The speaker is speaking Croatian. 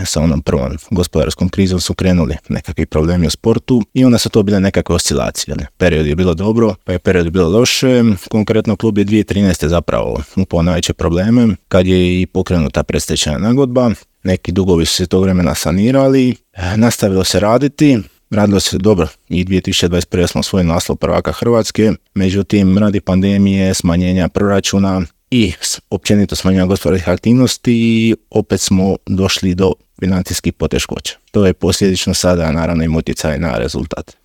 sa onom prvom gospodarskom krizom su krenuli nekakvi problemi u sportu i onda su to bile nekakve oscilacije. Period je bilo dobro, pa je period bilo loše. Konkretno klub je 2013. zapravo upao najveće probleme kad je i pokrenuta predstečajna nagodba. Neki dugovi su se tog vremena sanirali, nastavilo se radilo se dobro i 2021. smo osvojili naslov prvaka Hrvatske, međutim radi pandemije, smanjenja proračuna i općenito smanjenja gospodarskih aktivnosti opet smo došli do financijskih poteškoća. To je posljedično sada naravno im utjecaj na rezultat.